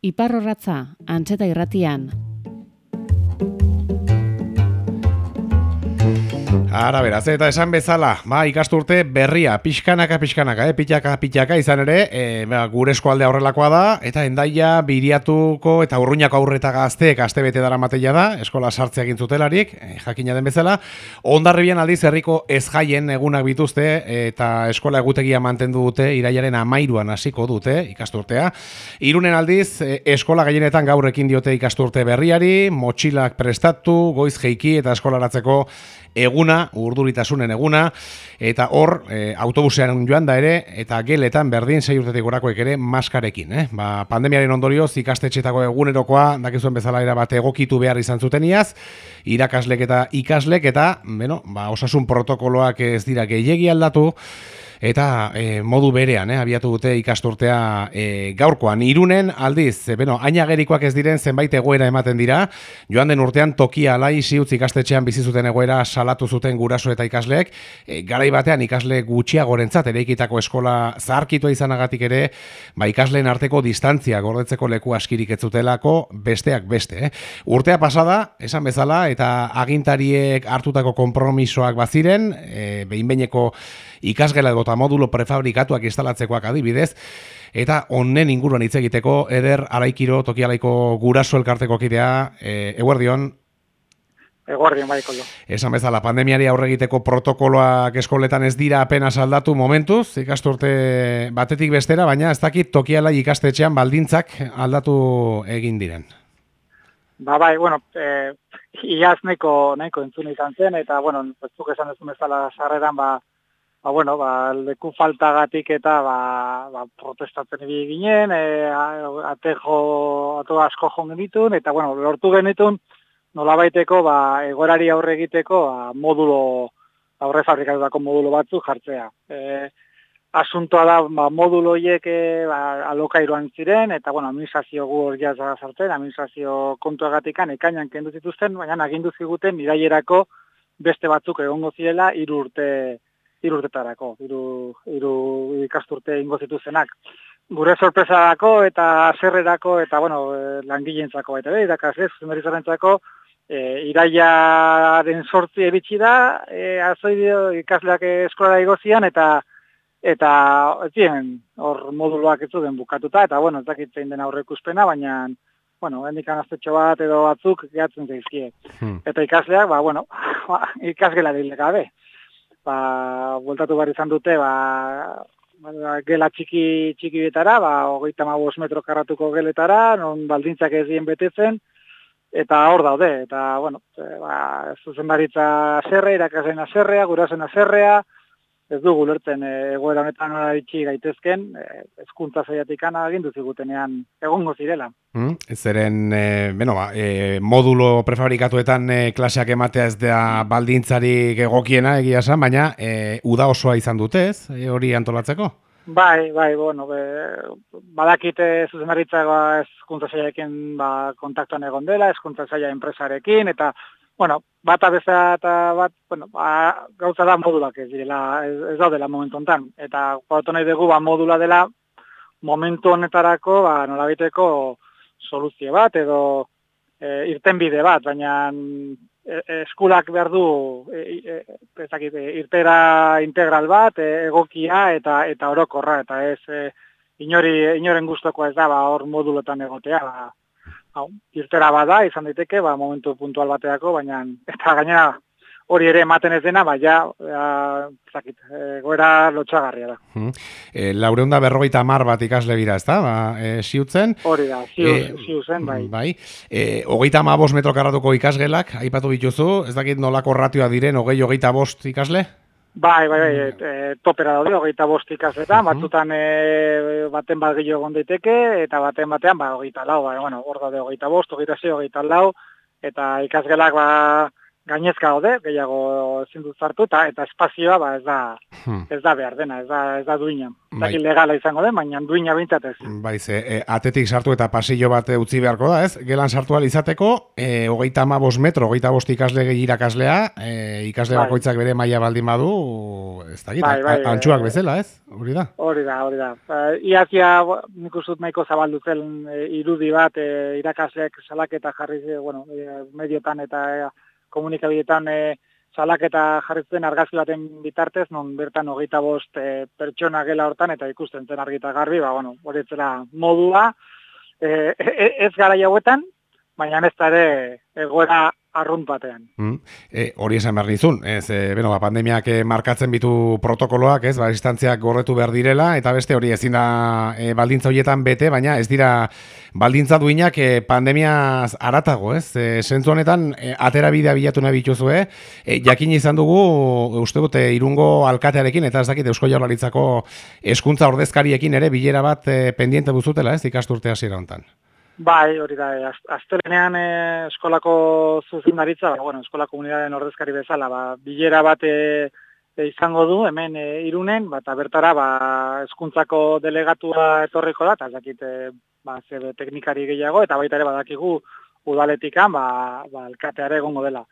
Iparrorratza, Antxeta irratian. Ara beraz, eta esan bezala, ikasturte berria, pixkanaka, pitaka izan ere, gure eskualdea horrelakoa da, eta Hendaia, Biriatuko eta Urruñako aurreta gazteek astebete dara mateia da, eskola sartzea egin zutelarik, jakina den bezala, Hondarribian aldiz herriko ezjaien egunak bituzte, eta eskola egutegia mantendu dute, irailaren 13an hasiko dute ikasturtea. Irunen aldiz, eskola gehienetan gaur ekin diote ikasturte berriari, motxilak prestatu, goiz jeiki eta eskolaratzeko eguna, urduritasunen eguna, eta hor, autobusean joan da ere, eta geletan berdin 6 urtetik gorakoek ere maskarekin. Pandemiaren ondorioz ikastetxetako egunerokoa, dakizuen bezala erabate egokitu behar izan zuteniaz, irakaslek eta ikaslek, eta, osasun protokoloak ez dira gehiegi aldatu, eta modu berean, abiatu dute ikasturtea gaurkoan. Irunen aldiz, ainagerikoak ez diren zenbait egoera ematen dira, joan den urtean Tokia Alai Ziutz ikastetxean bizi zuten egoera salatu zuten guraso eta ikasleek, garai batean ikasle gutxiagorentzat eraikitako eskola zaharkitua izanagatik ere, ikasleen arteko distantzia gordetzeko leku askirik ez zutelako besteak beste. Urtea pasada, esan bezala, eta agintariek hartutako konpromisoak baziren, behinbeineko ikasgela eta modulo prefabrikatuak instalatzekoak adibidez, eta honen inguruan hitz egiteko Eder Araikiro Tokialaiko guraso elkarteko kidea, eguerdion. Eguerdion, baiko jo. Esan bezala, pandemiari aurre egiteko protokoloak eskoletan ez dira apenas aldatu momentuz, ikasturte batetik bestera, baina ez dakit Tokialai ikastetxean baldintzak aldatu egin diren. Bai, iaz nahiko entzun izan zen, eta, zuk esan ez bezala sarreran, leku faltagatik eta protestatzen ibili ginen, ato asko joan genitun, eta lortu genitun nolabaiteko egoerari aurre egiteko aurre fabrikatutako modulo batzuk jartzea. Asuntoa da modulo horiek alokairuan ziren, eta administrazio gu hor jazza sartzen, administrazio kontuagatikan ekainan kendu zituzten, baina agindu ziguten irailerako beste batzuk egongo zirela 3 urtetarako, hiru ikasturte ingo zituzenak. Gure sorpresarako eta haserrerako eta langileentzako eta irakasle zuzendaritzarentzako irailaren 8 iritsi da, azoidio ikasleak eskolara igozian eta ez ziren hor moduloak ez zuten bukatuta, eta ez dakit zein den aurreikuspena, baina hendikan aztetxo bat edo batzuk gehatzen zaizkie. Eta ikasleak, ikasgela dile gabe. Bueltatu behar izan dute, gela txiki betara, 35 metro karratuko geletara, non baldintzak ez dien betetzen, eta hor daude, eta, zuzendaritza haserrea, irakasleen haserrea, gurasoen haserrea, ez dugu lertzen egoera honetan nola itxi gaitezken, hezkuntza saiatik agindu zigutenean egongo zirela. Zeren, modulo prefabrikatuetan klaseak ematea ez da baldintzarik egokiena egia esan, baina uda osoa izan dute ez, hori antolatzeko? Bai, badakite zuzendaritza hezkuntza saiarekin kontaktuan egon dela, hezkuntza saia enpresarekin, eta bata bezala eta gauza da modulak ez direla, ez daudela momentu honetan. Eta gautu nahi dugu modula dela momentu honetarako nolabiteko soluzio bat edo irtenbide bat, baina eskulak behar du irtera integral bat, egokia eta orokorra, eta ez inoren gustokoa ez da hor modulotan egotea. Irtera bada, izan daiteke, momentu puntual bateako, baina eta gainera hori ere ematen ez dena, goera lotxagarria da. 450 bat ikasle bira, ez da? Ziutzen? Hori da, ziutzen, bai. 35 metro karratuko ikasgelak, aipatu bituzu, ez dakit nolako ratioa diren 20-25 ikasle? Bai, topera daude, 25 ikasletan, batzutan baten bat gehiago egon daiteke, eta batean 24, hor daude 25, 26, 24, eta ikasgelak gainezka gaude, gehiago ezin dut sartu, eta espazioa ez da behar dena, ez da duina. Bai. Legala izango den, baina duina bintzat ez. Bai, atetik sartu eta pasillo bat utzi beharko da, ez? Gelan sartu ahal izateko, 35 metro, 25 ikasle gehi irakaslea, ikasle bakoitzak bere maila baldin badu, ez dakit, antxuak bezala, ez? Hori da? Hori da. Iazia, nik uste dut nahiko zabaldu zen irudi bat, irakasleak salaketa jarri, mediotan eta komunikabideetan salaketa jarritzen argazki baten bitartez, non bertan 25 pertsona gela hortan, eta ikusten zen argita garbi, hori etzela modua, ez gara hauetan, baina ez da ere egoera arrunt batean. Hori esan behar nizun, pandemiak markatzen bitu protokoloak, distantziak gorretu behar direla, eta beste hori ezin da baldintza horietan bete, baina ez dira baldintza duinak pandemiaz aratago, Zentzu honetan, atera bidea bilatu nahi bituzue, jakin izan dugu, uste dute, Irungo alkatearekin, eta ez dakit Eusko Jaurlaritzako hezkuntza ordezkariekin ere bilera bat pendiente buzutela, ikasturte hasiera honetan. Bai, hori da, astelenean eskolako zuzendaritza, eskola komunitateen ordezkari bezala, bilera bat izango du, hemen Irunen, eta bertara hezkuntzako delegatua etorriko da, eta ez dakit zebe teknikari gehiago, eta baita ere badakigu udaletikan, alkateare egongo dela.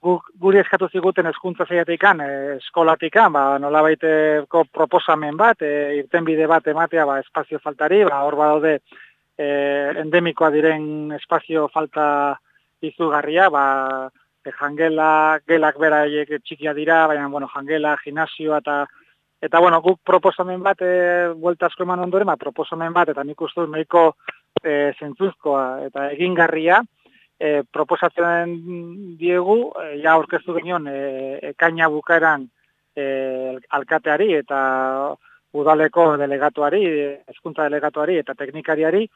Guri eskatu ziguten hezkuntza saiatikan, eskolatikan, nolabaiteko proposamen bat, irtenbide bat ematea espazio faltari, hor badaude endemikoa diren espazio falta izugarria, gelak beraiek txikia dira, baina jangela, gimnasioa eta guk proposamen bat, buelta asko eman ondoren, proposamen bat, eta nik uste dut nahiko zentzuzkoa eta egingarria, proposatzen diegu, aurkeztu genion ekaina bukaeran alkateari eta udaleko delegatuari, hezkuntza delegatuari eta teknikariari,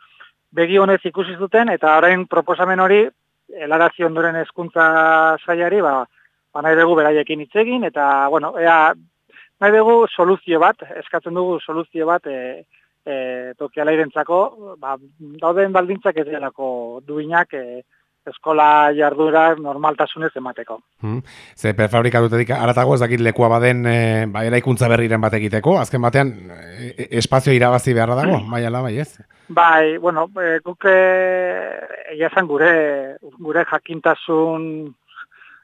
begi honez ikusi zuten, eta orain proposamen hori, helarazi ondoren hezkuntza sailari, nahi dugu beraiekin hitz egin, eta, nahi dugu soluzio bat, eskatzen dugu soluzio bat, tokialairentzako, dauden baldintzak ez delako duinak, eskola jardura normaltasunez emateko. Ze prefabrikatutetik aratago ez dakit lekua baden eraikuntza berriren bat egiteko, azken batean espazio irabazi beharra dago, bai ala bai ez? Bai, guk egia esan gure jakintasun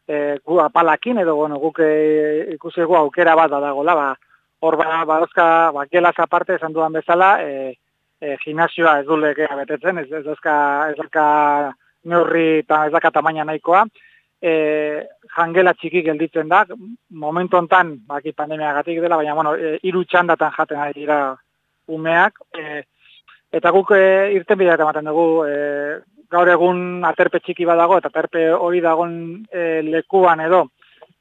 gu apalakin, edo guk ikusi egu aukera bat dagoela, hor badozka, gelaz aparte esan dudan bezala, gimnasioa ez du legea betetzen, ez dozka neurri eta ez daka tamaina nahikoa, jangela txiki gelditzen da, momentu hontan, pandemiagatik dela, baina, 3 txandatan jaten ari dira umeak, eta guk irtenbidea ematen dugu, gaur egun aterpe txiki badago, eta aterpe hori dagoen lekuan edo,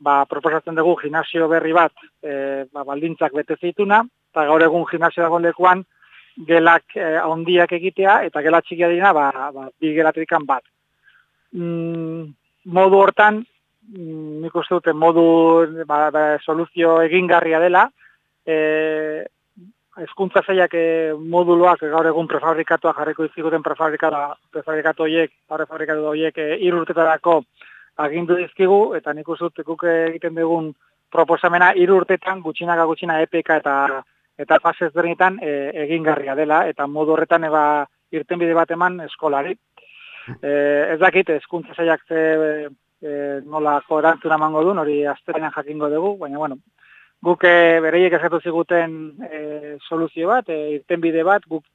proposatzen dugu gimnasio berri bat, baldintzak bete zituna, eta gaur egun gimnasio dagoen lekuan, gelak handiak egitea, eta gela txikia dira, 2 gelatrikan bat. Modu hortan, nik uste dute modu soluzio egingarria dela, hezkuntza sailak moduloak gaur egun prefabrikatuak jarriko izkiguten prefabrikatu horiek 3 urtetarako agindu dizkigu, eta nik uste dut guk egiten dugun proposamena 3 urtetan gutxinaka gutxina EPK eta fase ezberdinetan egingarria dela, eta modu horretan irtenbide bat eman eskolari. Ez dakit, hezkuntza sailak nolako erantzuna emango duen, hori astelenean jakingo dugu, baina guk bereiek eskatu ziguten soluzio bat, irtenbide bat, guk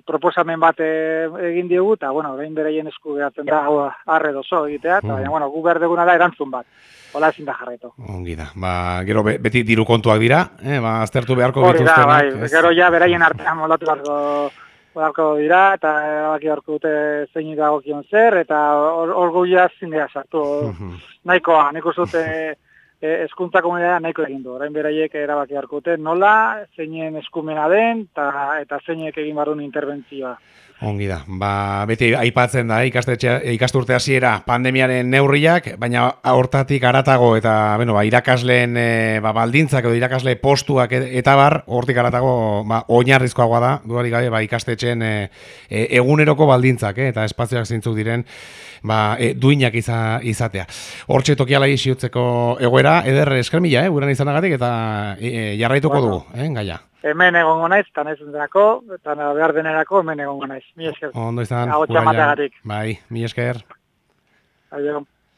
proposamen bat egin diogu, eta orain bereien esku geratzen da arre dozo egitea, eta baina guk behar duguna da erantzun bat. Hola ezin da jarraitu. Ongi da. Gero beti diru kontuak dira, aztertu beharko dituztenak. Hori da, bai. Gero beraien artean moldatu beharko dira, eta baki beharko dute zein dagokion zer, eta hor guia zindea sartu. Nahikoa, nik uste dute hezkuntza komunitatea nahiko egin du. Orain beraiek erabaki harkute nola, zeinen eskumena den, eta zeinek egin barrun interbentzioa. Ongi da, beti aipatzen da ikasturte hasiera pandemiaren neurriak, baina hortatik haratago eta irakasleen baldintzak edo irakasle postuak eta bar, hortik haratago oinarrizkoagoa da, dudarik gabe ikastetxeen eguneroko baldintzak eta espazioak zeintzuk diren duinak izatea. Hortxe tokiala isiutzeko egoera, eder eskermila, guran izanagatik eta jarraituko dugu, gaia. Hemen egongo naiz, eta nahiz entzako, eta behar denerako hemen egongo naiz. Mi esker. Ondo izan, Bai, mi esker. Adio.